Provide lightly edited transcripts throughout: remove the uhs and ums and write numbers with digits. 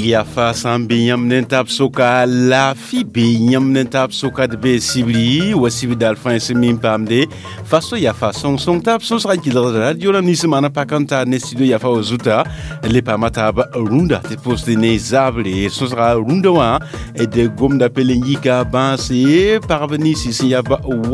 Yafa sãn be yãmb ne tab soka laafɩ be yãmb ne tab soka d bee sibri wa sibr daal fãa sẽn mi n paamde faso yafa sõng-sõng tab sõsga n kɩlgd radio rãmb nins maana pak n taar ne studio yafa wa zuta le paama taab rũndã tɩ pʋʋsd ne zabre sõsga rũndã wã d gomda pel n yika bãase pagb ninsi sẽn yaa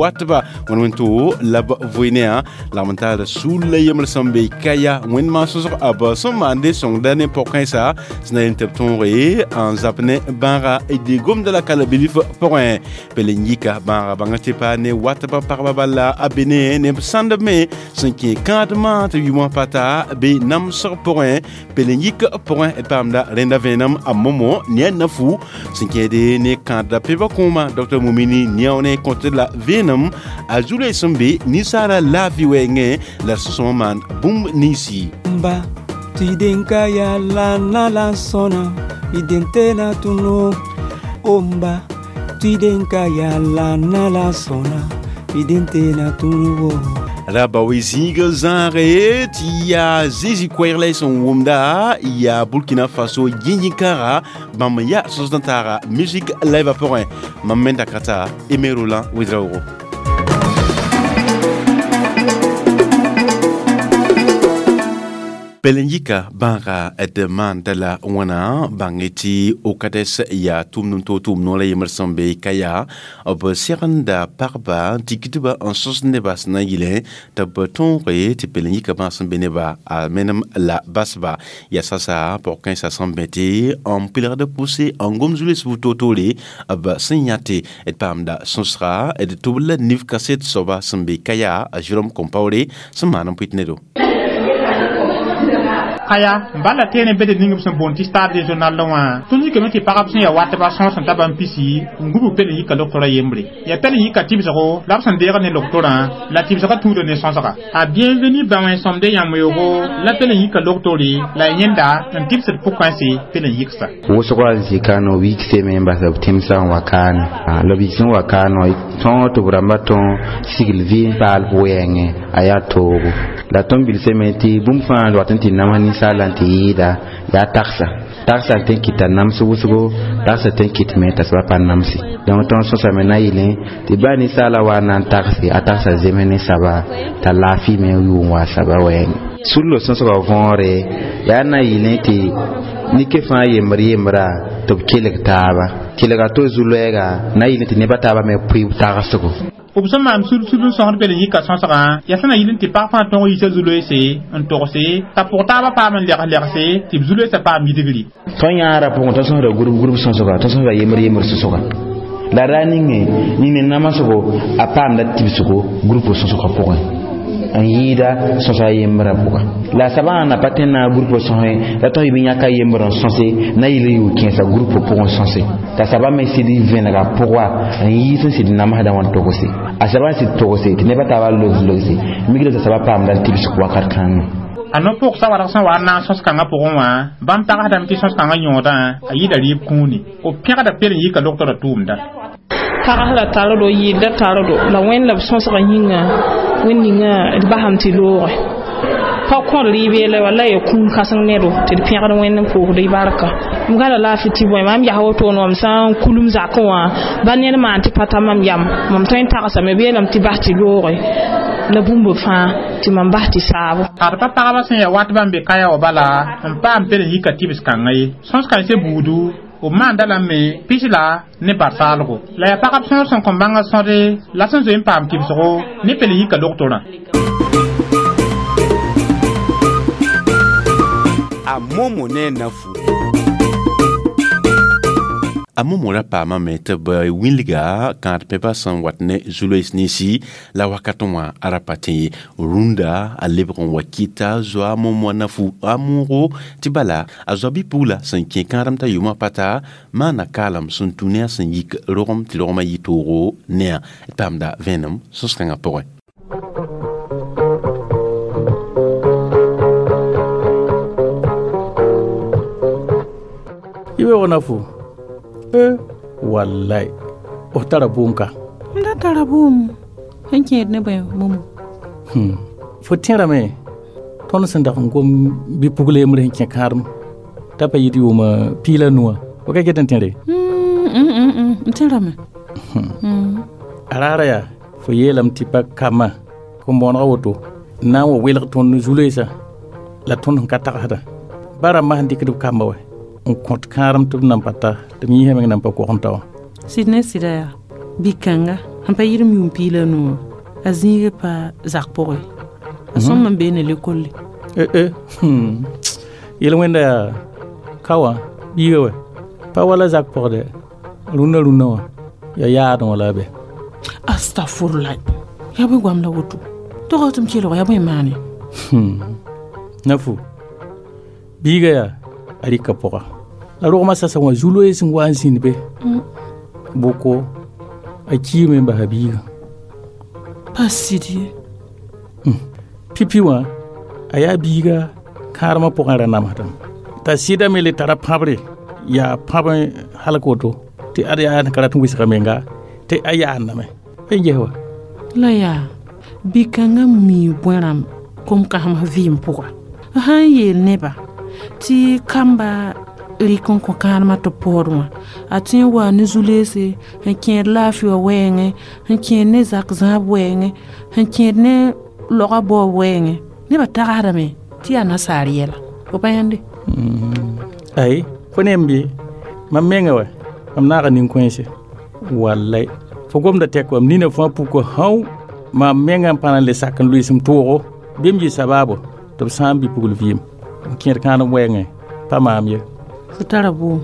watba wẽn wẽn-to la b voe ne yã lagm n taar sul la yembr sẽn be kaya wẽnd maan sõsg b sẽn maande sõngda ne pʋg-kãensa sẽn na yel tɩ b tõoge n zab ne bãaga d gomda la kala bilf pʋgẽ pel n yika bãaga bãnga tɩ pa ne watba pagba bala a be ne ne b sãndb me sẽn kẽ kãadmã tɩ yʋmã pa ta be namsg pʋgẽ pel n yik pʋgẽ d paamda rẽnda vẽenem a momo ne a nafu sẽn kẽede ne kãadda peba kõoma Dr Mumini Niao ne kõt la vẽenem a zu-loees sẽn be ninsaara laafɩ wɛɛngẽ la d sõsmã maan bũmb ninsi. Mba tidenka ya la na la sona identena tuno omba tidenka ya la na la sona identena tuno. Raba we zĩiga zãage tɩ yaa zĩzĩ koɛɛg la y sẽn wʋmda yaa Burkina Faso yĩn-yĩn-kãaga bãmb n yaa sõsd n taaga musique live pʋgẽ mam me dakata Aimé Roland Ouédraogo. Pel n yika bãaga d maanda la wãna bãng tɩ okades yaa tʋʋmd n toog tʋʋm noor a yembr sẽn be ka yaa b segenda pagba n tikdba n sõs neba sẽn na n yɩlẽ tɩ b tõoge tɩ pel n yika bãag sẽn be nebã a menem la basba yaa sasa pʋg-kãensã sẽn bẽ tɩ n pɩlgd pʋse n gom zu-loees bu-toor-toore b sẽn yãte d paamda sõsga d tʋb la nif kaset soaba sẽn be ka yaa a Jérôme Compaoré sẽn maan n pʋɩt ne do. Kaya bala tene bede ning b sẽn boond tɩ stade régional la wã tõnd yikame tɩ pagb sẽn yaa watba sõs n ta bãmb pisi n gub pel n yika loktora yembre yaa pel n yika tɩbsgo la b sẽn deegd ne loktorã la tɩbsgã tũuda ne sõsga a bienvenu bã wẽn-sõmde yãmb yoogo la pel n yika loktore la y yẽnda n tɩbsd pʋg-kãense pel n yiksa. Wʋsgo a zikano wikseme n bas b tẽmsã n wa kaane la b yik sẽn wa kaane wã tõog tɩ b rãmbã tõog sigl vɩ n paal b wɛɛngẽ a yaa toogo la tõnd bilsame tɩ bũmb fãa wat n tɩ nams ninsaala n tɩ yɩɩda yaa tagsa tagsa n tõe n kɩta nams wʋsgo tagsa tõe n kɩtme t'a soaba pa namse donc tõnd sõsame na yɩlẽ tɩ baa ninsaala wa n na n tagse a tagsa zems ne saba t'a laafɩ me yʋʋm wa saba wɛɛngẽ sullo sõsgã võore yaa na yɩlẽ tɩ nike fãa yembr yembra tɩ b kelg taaba kelga to zu-loɛɛga na yɩlẽ tɩ nebã taaba me pʋɩ tagsgo. B sẽn maan sud-sud n sõsd pel n yika sõsgã yaa sẽn na yɩl n tɩ pag fãa tõog yiisa zu-loeese n togse t'a pʋg taabã paam n lɛgs-lɛgse tɩ b zu-loeesã paam yidgri. Tõnd yãara pʋgẽ tõnd sõsda gurub-gurub sõsga tõnd sõsda yembr-yembr sõsga la ra ninge ning ne namsgo a paamda tibsgo gurub sõsgã pʋgẽ n yɩɩda sõsa yembrã pʋga la sabã na pa tẽn na gurp sõse la tõe bɩ yãka yembr n sõse na yɩl n yʋʋ kẽesa gurp pʋgẽ sõse t'a sabã me sɩd vẽnega pʋga n yiis n sɩd namsdã wã n togse a sabã n sɩd togse tɩ nebã taabã logs-logse mikda t'a sabã paamda n tibsg wakat kãngã. A no-pʋgsa warg sẽn wa n naag sõs-kãngã pʋgẽ wã bãmb tagsdame tɩ sõs-kãngã yõodã a yɩɩda rɩɩb kũuni b pẽgda pel n yika loktora tʋʋmda. Pagsda tar do yɩɩda tar do la wẽnd la b sõsgã yĩnga wẽnd ninga d basam tɩ looge pa kõd rɩɩb yeela wala ya kũun kãseng ne do tɩ d pẽgd wẽnd n pʋʋsd y barka m gãda laafɩ tɩ bõe mam yaa wotone mam sã n kulum zakẽ wã ba ned maan tɩ pa ta mam yam mam tõe n tagsame b yeelame tɩ bas tɩ looge la bũmb fãa tɩ mam bas tɩ saabo. Ad pa pagba sẽn yaa watbã n be kaya wã bala n paam pel n yika tɩbs kãngã ye sõs-kãensã buudu b maanda lame pis la ne barsaalgo la yaa pagb sõor sẽn kõn bãngã sõde la sẽn zoe n paam tɩbsgo ne pel n yika loktorã. A momo ne nafu. A momo ra paamame tɩ b wilga kãad pẽba sẽn wat ne zu-loees ninsi la wakat wã a ra pa tẽ ye rũndã a lebg n wa kɩta zoa momo a nafu a moogo tɩ bala a zoa bɩ-pugla sẽn kẽ kãadem t'a yʋmã pata maana kaalem sẽn tũ ne a sẽn yik rogem tɩ rogmã yɩ toogo ne-a d paamda vẽenem sõs-kãngã pʋgẽ. I weoog nafu wallahi f tara bʋʋm ka. M da tara bʋʋm sẽn kẽed ne bõe momo. Fo tẽrame tõnd sẽn dag n gom bɩ-pugl yembr sẽn kẽ kãadem T'a pa yɩ tɩ yʋʋma piig la nu wã. Fo ka ket n tẽre? N tẽrame. A raara yaa fo yeelame tɩ pa kambã kom-bõonegã woto n na n wa welg tõnd zu-loeesã la tõnd sẽn ka tagsdã. Ba rãmbã sẽn dɩkd b kamba wɛ n kõt kãadem tɩ b nan pa ta tɩ b yĩsã meng nan pa kog n ta wã. Sɩd ne sɩda yaa bi-kãnga sẽn pa yɩdem yʋʋm piig la nu wã a zĩigã pa zak pʋgẽ. A sõm n bee ne lekolle. Yel-wẽnda yaa ka wã biiga wɛ pa wala zak pʋgdɛ rũnna rũnna wã yaa yaadẽ wã la a be. Astafurla yaa bõe goam la woto tog tɩ m kelg yaa bõe maane. Nafu biiga yaa a rɩka pʋga la rogmã sasa wã zu-loees n wa n zĩnd be bʋko a kiime n basa biigã. Pa sɩd ye. Pipi wã a yaa biiga kãadmã pʋgẽ ra namsdame t'a sɩdame le tara pãbre yaa pãb halk woto tɩ ad yaa ka rat n wɩsga menga tɩ a yaandame n ges wa. La yaa bi-kãngã mii bõe rãmb kom-kãsems vɩɩm pʋga sãn yeel neba tɩ kamba rɩk n kõ kãadmã tɩ paood wã a tõe n waa ne zu-leese sẽn kẽed laafɩ wã wɛɛngẽ sẽn kẽed ne zak zãab wɛɛngẽ sẽn kẽed ne logã baoob wɛɛngẽ nebã tagsdame tɩ yaa nasaar yɛla fo pa yãnde. Ay fo ne n bɩ mam menga wɛ mam naaga nin-kõense wallay fo gomda tɛk wam nina fãa puka hão mam menga n pa na n le sak n loees m toogo bɩ m yɩ sabaabo tɩ b sãam bi-pugl vɩɩm n kẽed kãadem wɛɛngẽ pa maam ye. Fo tara boom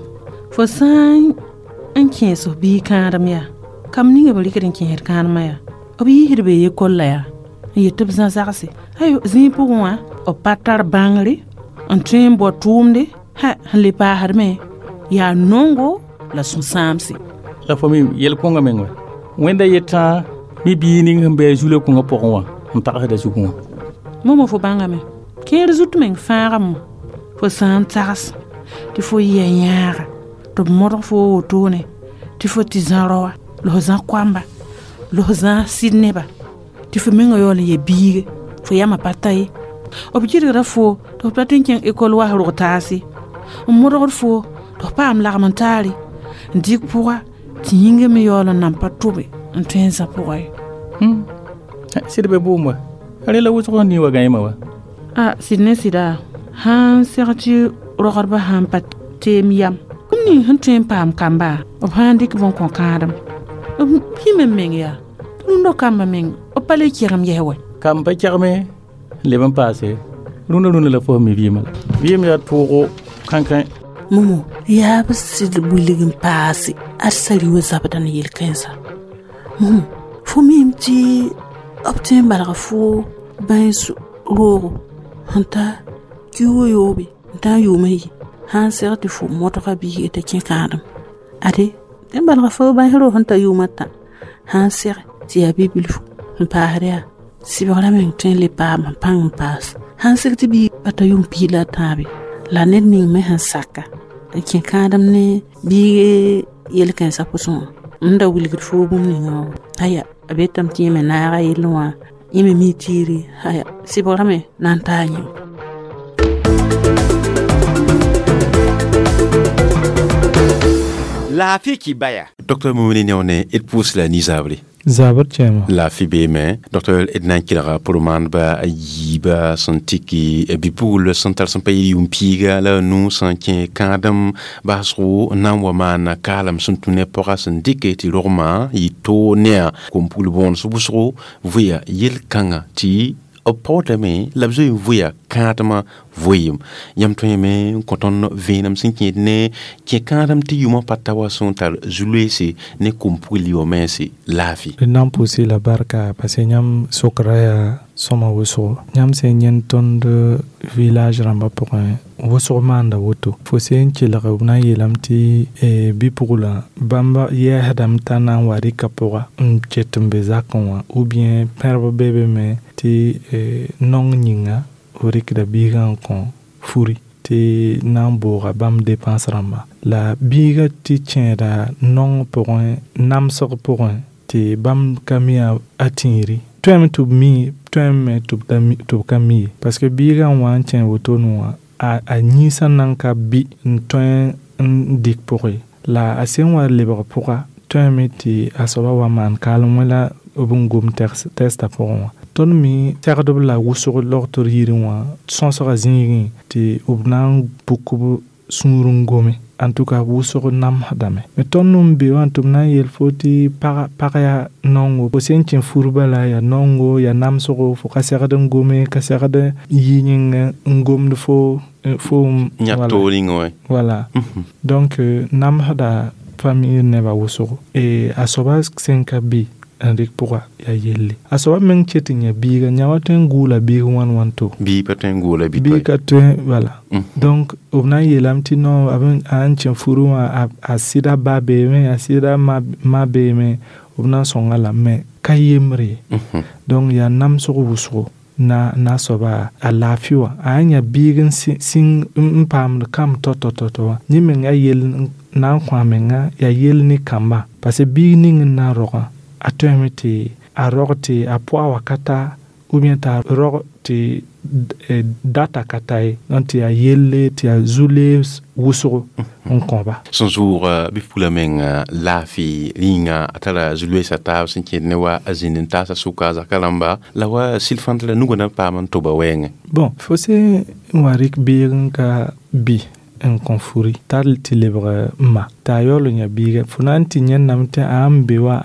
fo sã n kẽes f biig kãadem yaa kam ninga b rɩkd n kẽesd kãadmã yaa b yiisd be yekolla yaa n yet tɩ b zã zagse ayo zĩig pʋgẽ wã b pa tar bãngre n tõe n bao tʋʋmde ha sẽn le paasdme yaa nongo la sũ-sãamse. La fo me yel-kõngã meng wɛ wẽnda yetã mi biig ning sẽn be a zu-le-kõngã pʋgẽ wã n tagsda zugẽ wã. Momo fo bãngame kẽer zut meng fãagame fo sã n tags tɩ fo yɩa yãaga tɩ b modg fo wotone tɩ fo tɩ zã raoa la fo zã koamba la fo zã sɩd neba tɩ fo mengã yaool n ya biige fo yamã pa ta ye b gɩdgda fo tɩ f pa tɩ n kẽng ekol was rog taase n modgd fo tɩ f paam lagm n taare n dɩk pʋga tɩ yĩngã me yaool n nan pa tʋbe n tõe n zã pʋga ye. Sɩd be bʋʋm wa rẽ la wʋsg sẽn nii wa gãeemã wa. A sɩd ne sɩda sãn seg tɩ rogdbã sãn pa teem yam bũmb ning sẽn tõe n paam kamba b sãn dɩk b n kõ kãadem b pĩme meng yaa tɩ rũndã kambã meng b pa le kegem yɛs wɛ. Kam pa kegme n leb n paase rũndã rũndã la fo sẽn mi vɩɩmã la vɩɩm yaa toogo kãnkã. Momo yaa b sɩd wilg n paase ad sari wa zabda ne yel-kãensã. Momo fo miime tɩ b tõe n balga fo bãens roogo sẽn ta kiuugã yoobe n taa yʋʋm n yi sãn seg tɩ fo modga biiga t'a kẽ kãadem ade tɩ n balga fo bãens roog sẽn ta yʋʋm a tã sãn seg tɩ yaa bi-bilfu n paasd yaa sɩbgrã meng tõe n le paam n pãng n paas sãn seg tɩ biig pa ta yʋʋm piig la a tãabe la ned ning me sẽn saka n kẽ kãadem ne biig yel-kãensã pʋsẽ wã n da wilgd fo bũmb ninga wã aya a betame tɩ yẽ me naaga yell wã yẽ me mi tiire aya sɩbgrã me na n taa yẽm. Laafɩ kibaya. Docteur Moumouni Niaoné d pʋʋs la nizabre. Zabr kẽema. Laafɩ beeme docteur d na n kelga pʋr-maandba a yiiba sẽn tɩk bi-pugl sẽn tar sẽn pa yɩl yʋʋm piiga la a nu sẽn kẽ kãadem basgo n na n wa maana kaalem sẽn tũ ne pɔga sẽn dɩke tɩ rogmã yɩ toog ne a kom-pugl bõones wʋsgo vʋya yel-kãngã tɩ b paoodame la b zoe n vʋya kãadmã vʋɩɩm yãmb tõe yame n kõ tõnd vẽenem sẽn kẽed ne kẽ kãadem tɩ yʋmã pa ta wa sẽn tar zu-loeese ne kom-pugl yʋa mense laafɩ. D na n pʋʋsɩ la barka parce que yãmb sokra yaa sõma wʋsgo yãmb sẽn yẽnd tõnd village rãmbã pʋgẽ wʋsg maanda woto fo sẽn kelg b na n yeelame tɩ bi-puglã bãmb yɛɛsdame t'a na n wa rɩka pʋga n ket n be zakẽ wã ou bien pẽrb be be me tɩ nong yĩnga f rɩkda biigã n kõ furi tɩ na n booga bãmb dépense rãmba la biigã tɩ kẽeda nong pʋgẽ namsg pʋgẽ tɩ bãmb ka mi a tĩiri tõeme tɩ b mi tõeme tɩ b ka mi ye parce que biigã n wa n kẽ wotone wã a yĩnsã nan ka bɩ n tõe n dɩk pʋgẽ la a sẽn wa lebg pʋga tõeme tɩ a soaba wa maan kaalem wẽ la b n gom tɛsta pʋgẽ wã. Tõnd me segdb la wʋsg logtr yirẽ wã sõsga zĩigẽ tɩ b na n puk b sũur n gome. En tout cas wʋsg namsdame. Me tõnd n be wã tɩ b na n yeel fo tɩ pag yaa nongo, fo sẽn kẽ fur bala yaa nongo, yaa namsgo, fo ka segd n gome, ka segd n yi yĩngã n gomd fo yãk toor yĩngã wã. Voilà. Donc namsda famille nebã wʋsgo. A soaba sẽn ka be n rɩk pʋga yaa yelle. A soaba meng ket n yã biiga, yã wa tõe n gʋʋla biig wãn wãn to. Biig pa tõe n gʋʋla biig ka tõe, voilà. Donc b na n yeelame tɩ non a n kẽ furu wã a sɩda ba beeme, a sɩda ma beeme, b na n sõnga lame mais ka yembre ye. Donc yaa namsg wʋsgo na soaba a laafɩ wã. A yã biig n sĩng n paamd kamb tao-tao wã. Yẽ meng yaa yell na n kõ a menga, yaa yell ne kamba. Parce que biig ning n na n rogã, a tõeme tɩ a rog tɩ a pʋga wakata ou bien t'a rog tɩ data ka ta ye, donc tɩ yaa yelle tɩ yaa zu-lees wʋsgo n kõba. Sẽn zʋʋg bɩ-pugla menga laafɩ rĩnga a tara zu-loeesa taab sẽn kẽed ne wa a zĩnd n taasa sʋka a zaka rãmba la wa sɩl fãnt la nugã na paam n toba wɛɛngẽ. Bon, fo sẽn wa rɩk biig n ka bɩ n kõ furi tar tɩ lebg ma t'a yaool n yã biiga, fo na n tɩ yẽnname tɩ a n be wã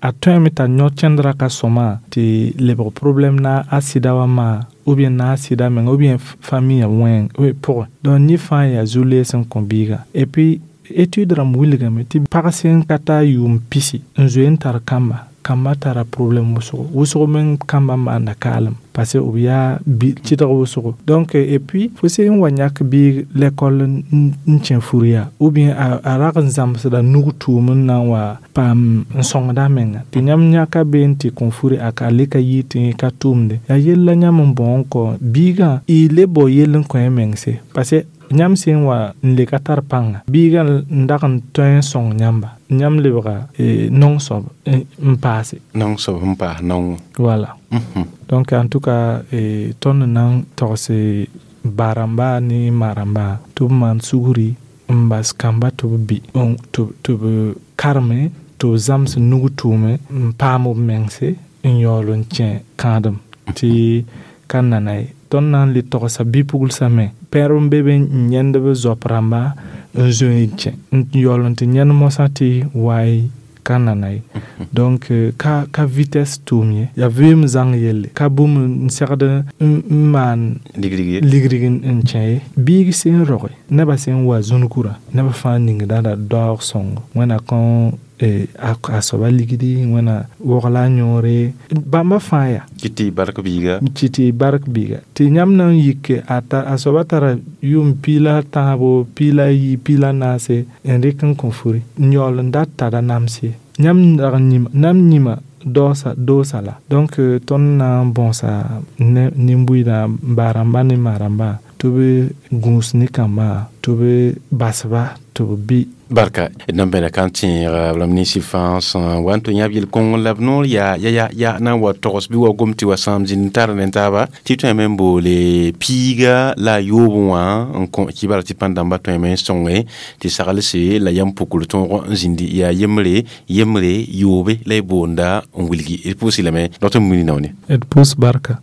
a tõeme t'a yõ kẽndrã ka sõma tɩ lebg problɛm na a sɩda wã maa ou bien na a sɩda menga ou bien famille wẽng pʋgẽ. Donc yẽ fãa yaa zu-lees n kõ biiga. Et puis étude rãmb wilgame tɩ pag sẽn ka tar yʋʋm pisi n zoe n tar kamba, kamba tara problɛm wʋsgo, wʋsg meng kamba maanda kaalem parce que b yaa tɩdg wʋsgo. Donc et puis fo sẽn wa yãk biig l'école n kẽ fur yaa ou bien a rag n zãmsda nug tʋʋm n na n wa paam n sõngda a menga tɩ yãmb yãka bee n tɩ kõ furi a ka le ka yɩ tɩ ka tʋʋmde. Yaa yell la yãmb n bão n kõ biigã y le bao yell n kõ y mengse parce que yãmb sẽn wa n le ka tar pãnga biigã n dag n tõe n sõng yãmba, yãmb lebga nong soab n paase. Nong soab n paas nongo. Voilà. Donc en tout cas tõnd n na n togse ba-rãmba ne ma-rãmba tɩ b maan sugri n bas kamba tɩ b bɩ tɩ b karme tɩ b zãms nug tʋʋme n paam b mengse n yaool n kẽ kãadem tɩ ka nana ye. Tõnd na n le togsa bi-puglsã me pẽrb n be be n yẽnd b zoap rãmba n zoe n kẽ n yaool n tɩ yẽnd mosã tɩ waay ka nana ye. Donc ka vitesse tʋʋm ye, yaa vɩʋʋm zãng yelle, ka bũmb n segd n maan ligdg n kẽ ye. Biig sẽn roge nebã sẽn wa zũnugurã nebã fãa ningdã la daoog sõngo wẽna kõ a soaba ligdi, wẽna wogla a yõore, bãmba fãa yaa. Tɩ bark biiga. Tɩ bark biiga. Tɩ yãmb na n yik a soaba tara yʋʋm piig la tãabo, piig la yi, piig la naase n rɩk n kõ furi n yaool n dat tara nams ye. Yãmb dag n yĩma, yĩma doosa la. Donc tõnd na n bõosa nin-buiidã ba-rãmba ne ma-rãmba tɩ b gũus ne kambã tɩ b basba tɩ b bɩ. Barka d na n bẽda ka n tẽeg b rãmb ninsi fãa sẽn wa n tɩ yãb yel-kõng la b noor yaa ya na n wa togs bɩ wa gom tɩ wa sãam zĩnd n tar ne taaba tɩ tõeme n boole piiga la a yoobẽ wã n kõ kibara tɩ pãn-dãmbã tõeme n sõnge tɩ saglse la yam pukr tõog n zĩndi yaa yembre yembre yoobe la y boonda n wilgi. D pʋʋs lame dr Mumini Naone. D pʋʋs barka.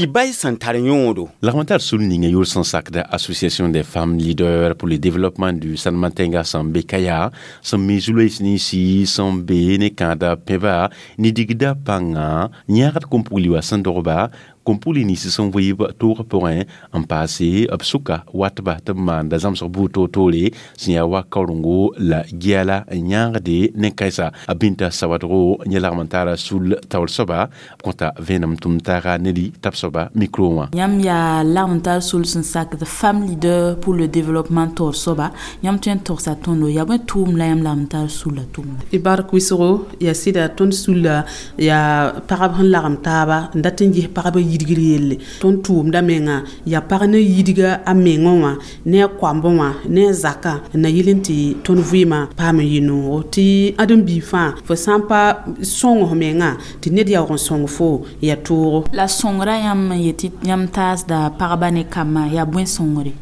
Bay sẽn tar yõodo. Lagm tar sul ninga yʋl sẽn sakda Association des femmes leaders pour le développement du Sanmatenga sẽn be kaya sẽn mi zu-loees ninsi sẽn be ne kãada pẽba ne digda pãnga yãgd kom-pugli wa sẽn dogba kom-pugli nins sẽn wɩɩb toogã pʋgẽ n paase b sʋka watba tɩ b maanda zãmsg buud toor-toore sẽn yaa wa kaorengo la giala n yãagde ne kãensa. A Bĩnta Sawadgo yẽ lagm n taara sul taoor soaba b kõta vẽenem tʋm taaga ne tab soaba micro wã. Yãmb yaa lagm n tar sul sẽn sakd femme leader pour le développement taoor soaba, yãmb tõe n togsa tõndo yaa bõe tʋʋm la yãmb lagm n tar sulla tʋʋmda. Y bark wɩsgo yaa sɩda tõnd sulla yaa pagb sẽn lagem taaba n dat n ges pagb yidgr yelle tõnd tʋʋmda menga yaa pag ne yidga a mengẽ wã ne a koambẽ wã ne a zakã n na yɩl n tɩ tõnd vɩɩmã paam n yɩ noogo tɩ ãdem-biig fãa fo sã n pa sõng f mengã tɩ ned yaoog n sõng fo yaa toogo. La sõngra yãmb n yetɩ yãmb taasda pagba ne kambã yaa bõe sõngre?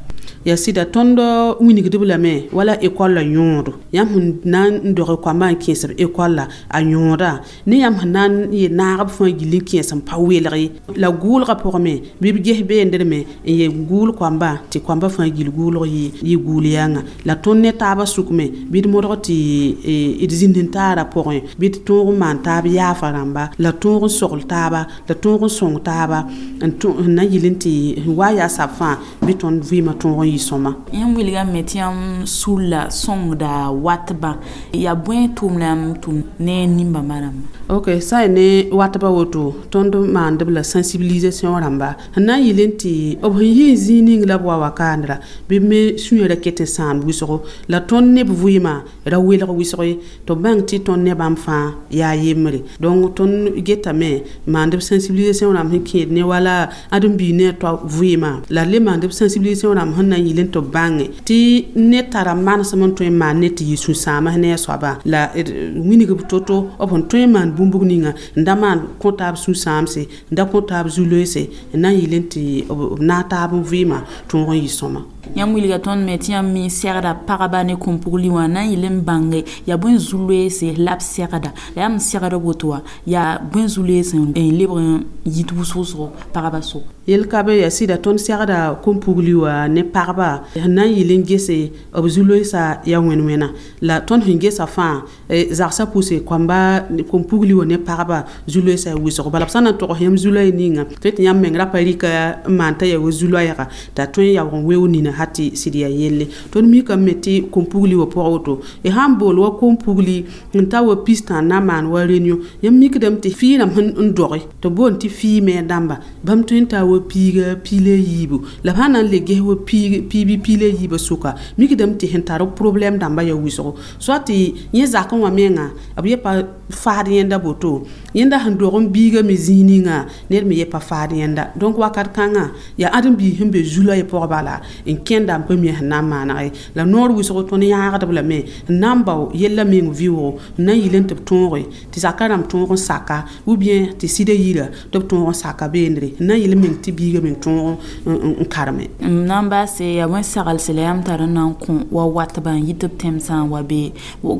Yaa sɩda tõnd wilgdb lame wala ekɔl la yõodo. Yãmb sẽn na n doge koambã n kẽesb ekɔl la a yõoda ne yãmb sẽn na n yel naagb fãa gill n kẽes n pa welg ye. La gʋʋlgã pʋgẽ me bɩ b ges beendrme n yel gʋʋl koambã tɩ koambã fãa gill gʋʋlg yɩ gʋʋl yãnga. La tõnd ne taabã sʋk me bɩ d modg tɩ d zĩnd n taara pʋgẽ bɩ d tõog n maan taab yaafa rãmba la tõog n sogl taaba la tõog n sõng taaba n na yɩl n tɩ wa yaa sab fãa bɩ tõnd vɩɩmã tõog n yɩ sõma. Yãmb wilgame tɩ yãmb sulla sõngda watbã yaa bõe tʋʋm la yãmb tʋm ne nimbãmbã rãmba? Ok, sã n ne watbã woto tõnd maandb la sensibilisation rãmba sẽn na n yɩl n tɩ b sẽn yɩ n zĩig ning la b wa wakaandra bɩ b me sũyã ra ket n sãam wɩsgo la tõnd neb vɩɩmã ra welg wɩsg ye tɩ b bãng tɩ tõnd ne bãmb fãa yaa yembre. Donc tõnd getame maand b sensibilisation rãmb sẽn kẽed ne wala ãdem-biig ne a toa vɩɩmã la d le maand b sensibilisation rãmb sẽn na n yɩl n tɩ b bãnge tɩ ned tara manesem n tõe n maan ne tɩ yɩ sũ-sãams ne a soabã la wilg b to-to b sẽn tõe n maan bũmb ninga n da maan kõ taab sũ-sãamse n da kõ taab zu-loeese n na n yɩl n tɩ b naag taab n vɩɩmã tõog n yɩ sõma. Yãmb wilga tõnd me tɩ yãmb me segda pagba ne kõn-pugli wã na n yɩl n bãnge yaa bõe zu-loeese la b segda la yãmb segd woto wã yaa bõe zu-loeese n lebg n yit wʋsg-wʋsgo pagba sʋk. Yel ka be yaa sɩda tõnd segda kõn-pugli wã ne pagba sẽn na n yɩl n gese b zu-loeesã yaa wẽn-wẽna la tõnd sẽn gesa fãa zagsã pʋse koamba kõn-pugli wã ne pagba zu-loeesã yaa wʋsgo. Bala b sã n na n togs yãmb zu-loɛɛ ninga tɩ tɩ yãmb meng ra pa rɩka n maan t'a yaa wa zu-loɛɛga t'a tõe n yaoog n weoog nina ha tɩ sɩd yaa yelle. Tõnd mikame tɩ kõn-pugli wã pʋgã woto y sã n bool wa kõn-pugli n ta wa pistã n na n maan wa réunion yãmb mikdame tɩ fɩɩ rãmb sẽn n doge tɩ b boond tɩ fɩɩ me dãmba bãmb tõe n taa wa piiga piila yiibu la b sã na n le ges wa pii bɩ piila yiibã sʋka mikdame tɩ sẽn tar problɛm dãmbã yaa wʋsgo soa tɩ yẽ zakẽ wã menga b ye pa faad yẽnda boto yẽnda sẽn dog n biiga me zĩig ninga ned me ye pa faad yẽnda. Donc wakat kãngã yaa ãdem-biig sẽn be zu-loɛɛ pʋgã bala n kẽnda n pa mi sẽn na n maaneg ye. La noor wʋsgo tõnd yãagdb lame n na n bao yellã meng vɩʋʋgo n na n yɩl n tɩ b tõoge tɩ zakã rãmb tõog n saka ou bien tɩ sɩda yira tɩ b tõog n saka beendre n na n yɩl n meng tɩ biiga meng tõog n karme. N na n baase yaa bõe saglse la yãmb tar n na n kõ wa watbã n yit b tẽmsã n wa be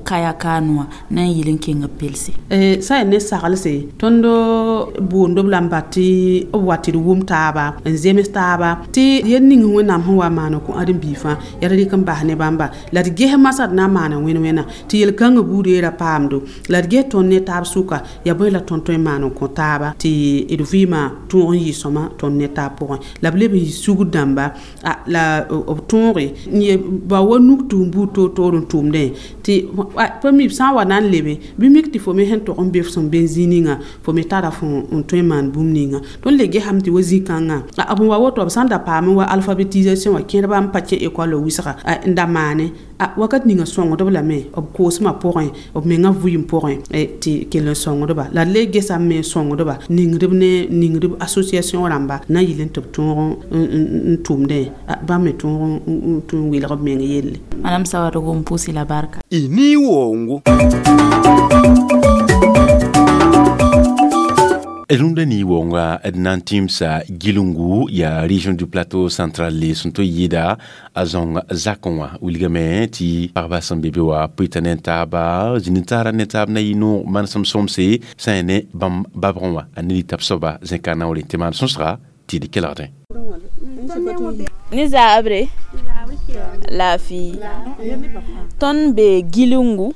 kaya kaan wã na n yɩl n keng b pelse? Sã n ne saglse tõnd boond b la n bat tɩ b wa tɩ d wʋm taaba n zems taaba tɩ yel ning Wẽnnaam sẽn wa maan n kõ ãdem-biig fãa yaa d rɩk n bas ne bãmba la d ges masã d na n maana wẽn-wẽna tɩ yel-kãngã buudã ra paamdo la d ges tõnd ne taab sʋka yaa bõe la tõnd tõe n maan n kõ taaba tɩ d vɩɩmã tõog n yɩ sõma tõnd ne taab pʋgẽ la b leb n yɩ sugr dãmba la b tõoge n ye ba wa nuk tʋʋm buud toor-toor n tʋʋmdẽ tɩ pa mi b sã n wa na n lebe bɩ mik tɩ fo me sẽn tog n be f sẽn be zĩig ninga fo me tara fo n tõe n maan bũmb ninga. Tõnd le gesame tɩ wa zĩ-kãngã b wa woto b sã n da paam wa alphabétisation wã kẽedbã n pa kẽ école wɩsga n da maane wakat ninga sõngdb lame b koosmã pʋgẽ b mengã vɩɩm pʋgẽ tɩ kell n sõngdba la d le gesame me sõngdba ningdb ne ningdb association rãmba na n yɩl n tɩ b tõog n tʋmdẽ bãmb me tõog n welg b meng yelle. Madame Sawadogo n pʋʋs la barka. Y ni wongo. Rũndã ni wonga d na n tĩmsa gilungu yaa région du plateau central le sẽn tɩ yɩɩda a zãong zakẽ wã wilgame tɩ pagba sẽn be be wã pʋɩta ne taaba zĩnd taara ne taab na yɩ noog manesem sõmse sã n ne bãmb babgẽ wã a ne dɩ tab soaba zẽka naoore tɩ maan sõsga tɩ d kelgdẽ. Ni zaabre laafɩ tõnd be gilungu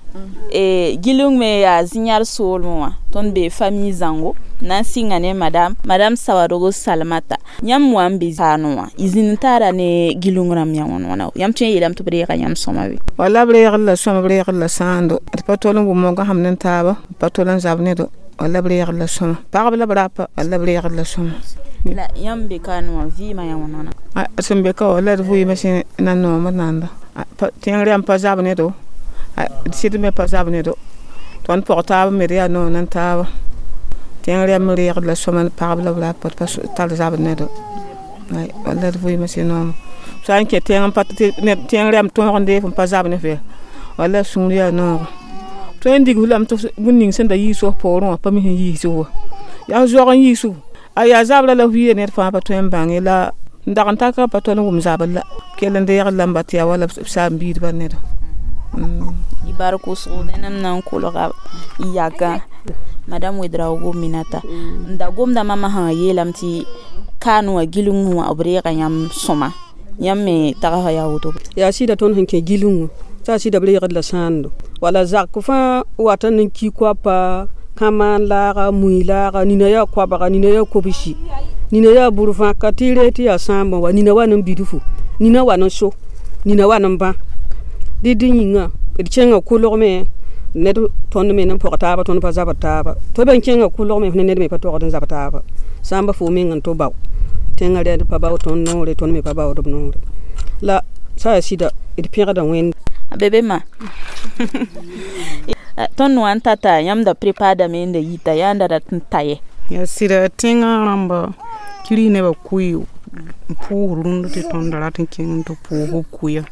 gilung me yaa zĩ-yãr soolmẽ wã tõnd be famille zãngo na n sɩnga ne madame Sawadogo Salamata yãmb wa n be kaanẽ wã y zĩnd n taara ne gilung rãmb yã wãn wãna yãmb tõe n yeelame tɩ b reega yãmb sõma be? Wala b reegd la sõma b reegd la sãando d pa tol n wʋm moogã sãmb ne taaba b pa tol n zab ne do wala b reegd la sõma pagb la b rapa wala b reegd la sõma. La yãmb be kaanẽ wã vɩɩmã yã wãn wãna? Sẽn be ka wala d vɩɩmã sẽn na noom d nanda tẽng rãmb pa zab ne do d sɩd me pa zab ne do tõnd pʋg taab me d yaa noog n taaba Tẽng rɛm reegd la sõma pagb la b rapa d pa tar zabd ne do. Walla d vɩɩmã sẽn sã n kẽ tẽng n pa tẽng rɛm tõog n deeg n pa zab ne fɛ walla sũur yaa noogo. Tõe n dig f lame tɩ bũmb ning sẽn da yiis f poorẽ wã pa mi sẽn yiis wa. Yaa zoag n yiis a yaa zabra la f yɩɩda ned fãa pa tõe n bãng ye la n dag n taka pa tol n wʋm zabr la kell n deegd la n ba tɩ yaa wala b saam-biidbã neda. Y bark wʋsgo nẽnam na n kolga y yakã madame Ouedraogo Minata n da gomda mama sã yeelame tɩ kaan wã gilengẽ wã b reega yãmb sõma yãmb me tagsga yaa woto. Yaa sɩda tõnd sẽn kẽ gilengẽ t'a sɩda b reegd la sãando wala zak fãa wata n ki koapa kãmaan laaga mui laaga nina yaa koabga nina yaa kobsi nina yaa bur-vãka tɩ y ree tɩ yaa sãambã wa nina wa n bidfu nina wa n so nina wa n bã dɩ yĩnga d kẽnga kolgme ned tõnd me n pɔg taaba tõnd pa zabd taaba tɩ b kẽnga kolgme ne ned me pa togd n zab taaba sãamba fo meng n tɩ bao tẽngã rɛd pa bao tõnd noore tõnd me pa baood b noore la sã yaa sɩda d pẽgda Wẽnd. Bebe ma tõnd wã n tata yãmb da prepaadame n da yita yaa n da rat n ta ye. Yaa sɩda tẽngã rãmba kiri nebã kʋɩ n pʋʋs rũnd tɩ tõnd da rat n kẽng n tɩ pʋʋs b kʋɩa.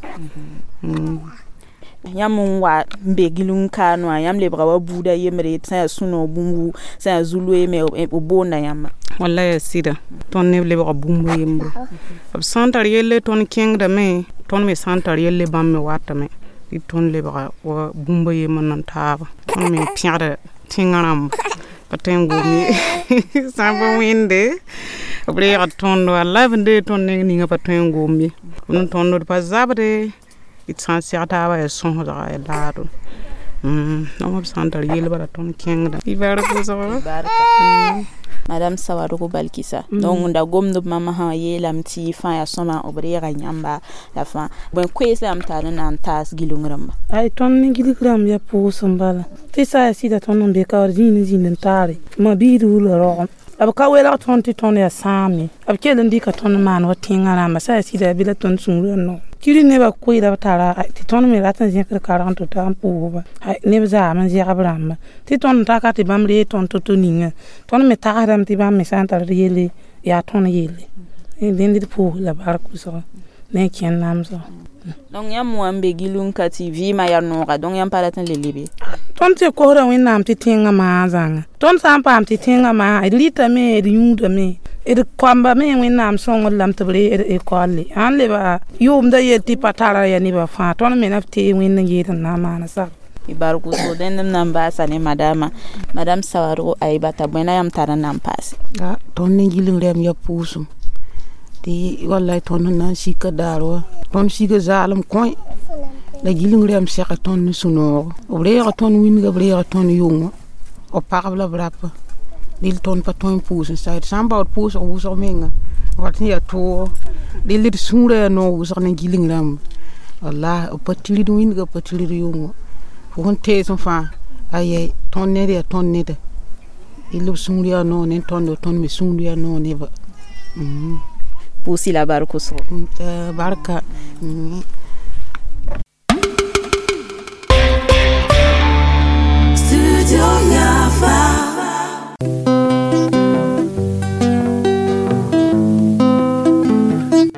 Yãmb n wa n be gileng kaan wã yãmb lebga wa buuda yembre sã yaa sũ-noog bũmbu sã yaa zu-loe me b boonda yãmba. Walla yaa sɩda tõnd neb lebga bũmb yembre b sã n tar yelle tõnd kẽngdame tõnd me sã n tar yelle bãmb me watame tɩ tõnd lebga wa bũmb yembr nan taaba tõnd me pẽgda tẽngã rãmba pa tõe n gom ye sãmb wẽnde b reegd tõnd walla b n deeg tõnd neng ninga pa tõe n gom ye b n tõnd d pa zabde d sã n seg taaba yaa sõsdga yaa laado b sã n tar yel bala tõnd kẽngda y bark wʋsgo. Madame Sawadogo Balkisa donc da gomd b mama sã yeelame tɩ fãa yaa sõma b reega yãmba la fãa bõe koees la yãmb tar n na n taas gileng rãmba. Ay tõnd ne gilg rãmb yaa pʋʋsem bala tɩ sã yaa sɩda tõnd n be ka wa zĩnd n zĩnd n taare ma biid wula rogem b ka welg tõnd tɩ tõnd yaa sãam ye b kell n dɩka tõnd n maan wa tẽngã rãmba sã yaa sɩda yaa bɩ la tõnd sũurã noog kiri nebã koeeda b tara tɩ tõnd me rat n zẽkd karg n tɩ ta n pʋʋsba neb zaam n zɛg b rãmba tɩ tõnd n taka tɩ bãmb ree tõnd to-to ninga tõnd me tagsdame tɩ bãmb me sã n tar d yelle yaa tõnd yelle dẽnd d pʋʋs la bark wʋsgo ne kẽnd namsgo. Donc yãmb wã n be gileng ka tɩ vɩɩmã yaa nooga donc yãmb pa rat n le lebe. Tõnd tɩ kosda Wẽnnaam tɩ tẽngã maa zãnga tõnd sã n paam tɩ tẽngã maa d rɩtame d yũudame d koamba me Wẽnnaam sõngr lame tɩ b ree ekolle sãn leba yʋʋmda yel tɩ pa tara yaa nebã fãa tõnd me na b tee Wẽnd n yeel n na n maana sab. Y bark wʋsgo dẽnd m na n baasa ne madama madame Sawadogo Aibata bõe la yãmb tar n na n paase. Tõnd ne gileng rɛm yaa pʋʋsem tɩ wallay tõnd sẽn na n sika daar wa tõnd sika zaalem kõe la gileng rɛm sɛka tõnd ne sũ-noogo b reega tõnd wĩnga b reega tõnd yʋngã b pagb la b rapa dɩl tõnd pa tõe n pʋʋs n sa d sã n baood pʋʋsg wʋsg menga wat sẽn yaa toogo dɩl d sũurã yaa noog wʋsg ne gileng rãmba walla b pa tirid wĩnga b pa tirid yʋngã fo sẽn tees n fãa ayɛy tõnd ned yaa tõnd neda dɩl b sũur yaa noog ne tõndo tõnd me sũur yaa noog neba. Pʋʋs-y la bark wʋsgo. Barka. Studio Yafa.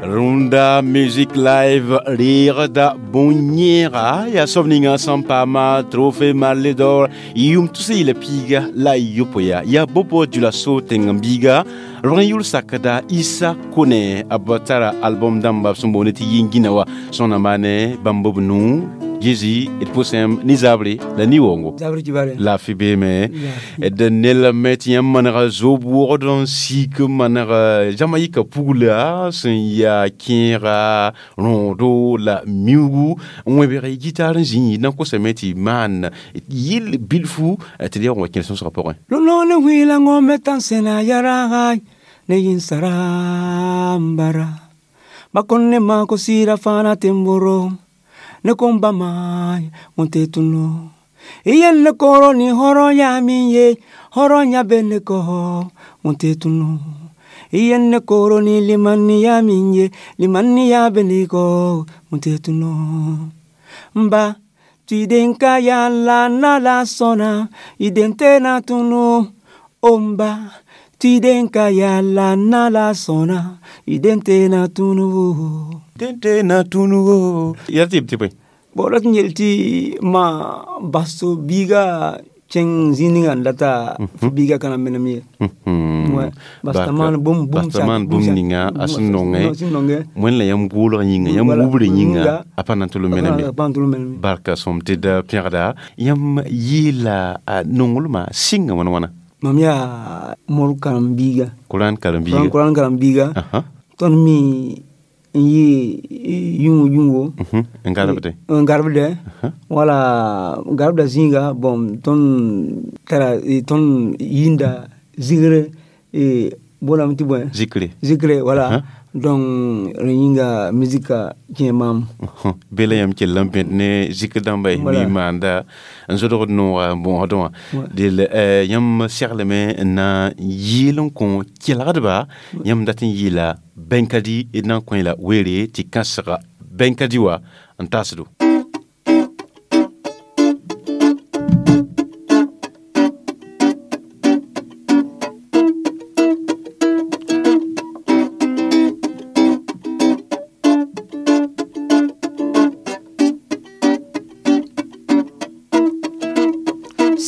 Runda Music Live reegda bõn-yẽega yaa soab ninga sẽn paama trophée Marley d'or yʋm tus yɩla piiga la y yopoe yaa Bobo Dioulasso tẽng-n-biiga rõg n yʋl sakda Issa Kone b tara album dãmba b sẽn boond tɩ yĩngina wa sõna maane bãmb b nuu Jésus d pʋsẽm ne zabre la ni-wongo laafɩ beeme d nelame tɩ yãmb manega zob wogd n sik n maneg Jamaïka pugla sẽn yaa kẽega rõodo la miugu n wẽbg gitar n zĩ na n kosame tɩ maan yɩl bilfu tɩ d yaoog n wa kẽer sõsgã pʋgẽ. Lolo ne wila ngome tan sena yaragai ne yinsarambara makonne mako sira fana temboro ne komba mai monte tuno iyen ne koro ni horo ya minye horo nya bene ko monte tuno iyen ne koro ni limani ya minye limani ya bene ko monte tuno mba tidenka ya la na la sona idente na tunu Omba tidenka yala na la sona idente na tunu dente na tunu ya tɩ tɩ bõe bon rat n yel tɩ ma baso biiga kẽng zĩig ninga n data fo biiga ka na menem ye. Basta maan bũmb bũmb ninga a sẽn nongẽ wẽnd la yãmb goolg yĩnga yãmb wubr yĩnga a pa na n tʋl n menem ye. Barka sõm tɩ d pẽgda yãmb yeela nonglmã sɩnga wãn wãna. Mam yaa mor karen-biiga. Koran karen-biiga. Koran karen-biiga. Tõnd mi n yɩ yũngo yũngo. N garbde. N garbdɛ. Wala garbda zĩiga bon tõnd tara tõnd yĩnda zigre bolame tɩ bõe. Zikre. Zikre wala. Donc rẽ yĩnga musika kẽ maam. Be la yãmb kell n bẽd ne zikr dãmba mi maanda n zodgd nooga n bõosdẽ wã del yãmb segleme n na n yeel n kõ kelgdba yãmb dat n yeela bẽn-ka-dɩ d na n kõ la weere tɩ kãsega bẽn-ka-dɩ wã n taasdo.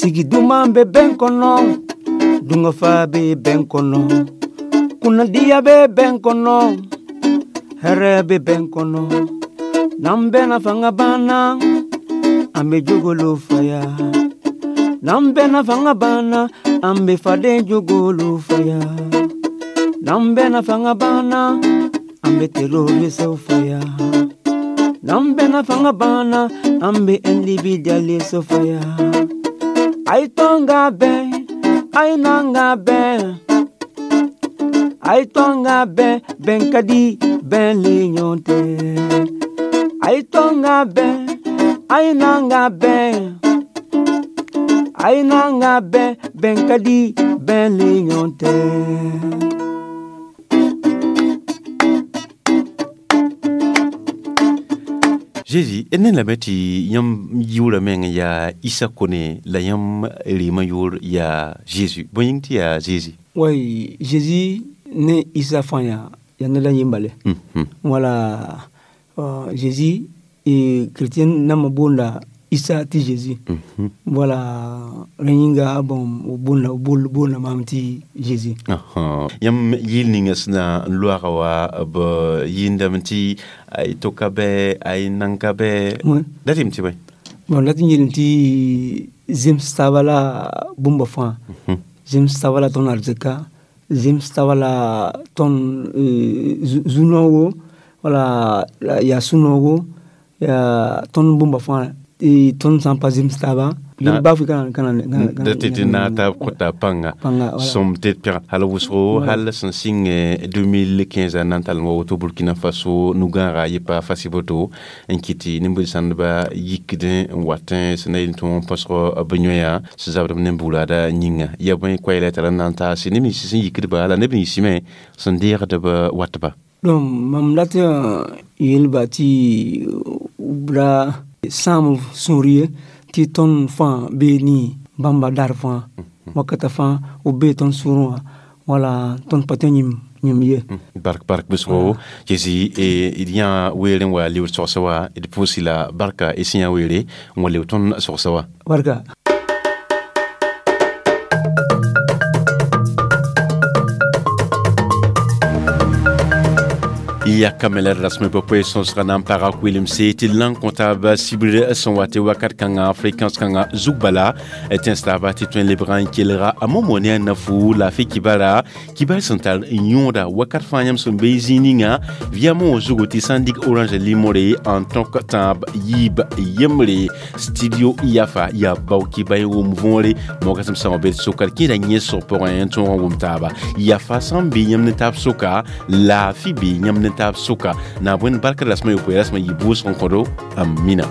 Sigi duman bɛ bɛn kɔnɔ, dungafa bɛ bɛn kɔnɔ, kunnadiya bɛ bɛn kɔnɔ, hɛrɛ bɛ bɛn kɔnɔ. N'an bɛnna fanga banna, an bɛ jogolo faya. N'an bɛnna fanga banna, an bɛ faden jogolo faya. N'an bɛnna fanga banna, an bɛ terroristew faya. N'an bɛnna fanga banna, an bɛ individualiste faya. Ay tonga ben, ay nanga ben. Ay tonga ben, ben kadi, ben lignonte. Ay tonga ben, ay nanga ben. Ay nanga ben, ben kadi, ben lignonte. Jésus ne lame tɩ yãmb yʋʋra meng yaa Issa Kone la yãmb rɩɩmã yʋʋr yaa Jésus. Bõe yĩng tɩ yaa Jésus? Way, Jésus ne Issa fãa yaa ned a yẽmbale. Wala Jésus chrétien nãmbã boonda Issa tɩ Jésus. Wala rẽ yĩnga bon b boonda maam tɩ Jésus. Yãmb yɩl ninga sẽn na n loaga wa b yɩɩndame tɩ ay toka bɛ ay nanka bɛ dat yem tɩ bõe? Bon dat n yeelame tɩ zems taaba la bũmba fãa. Zems taaba la tõnd arzɩka, zems taaba la tõnd zu-noogo, wala yaa sũ-noogo, yaa tõnd bũmba fãa tõnd sã n pa zems taaba da tɩ na taab kota pãnga sõm tɩ d pẽg hal wʋsgo hal sẽn sɩng 2015 a na n tall n wa woto Burkina Faso nu-gãaga yɩ pa fasiboto n kɩt tɩ nin-bʋ-sãndba yikdẽ n watẽ sẽn na yel tɩ põsg b yõya sẽn zabdb ne buurada yĩnga ya bõe koɛɛla tara n na n taase neb nins sẽn yikdba la neb nins me sẽn deegdb watba. Donc mam dat yeelba tɩ ra sãam sũur ye tɩ tõnd fãa bee ne bãmba dar fãa wakata fãa b bee tõnd sũurẽ wã wala tõnd pa tõe n yĩm ye. Bark bark bʋsgo Jésus d yã weere n wa lebd sogsa wa d pʋʋs la barka y sẽn yã weere n wa leb tõnd sogsa wa. Barka. Ya kamela rasme popoe sõsga na n paga kʋɩlemse tɩ d na n kõ taab sibr sẽn wa tɩ wakat kãngã fréquence kãngã zug bala tẽns taaba tɩ tõe n lebga n kelga a momo ne a nafu laafɩ kibara kibar sẽn tar n yõoda wakat fãa yãmb sẽn be zĩig ninga via mo zugu tɩ sã n dig orange limore n tõk tãab yiib yembre studio yafa yaa bao kiba y wʋm võore mogasem sã wã be sokar kẽeda yẽsg pʋgẽ n tõog n wʋm taaba yafa sã n be yãmb ne taab soka laafɩ be yãmb ne taab soka na bõe barka rasmã yopoe rasmã yɩ bʋʋsg n kõdo amina.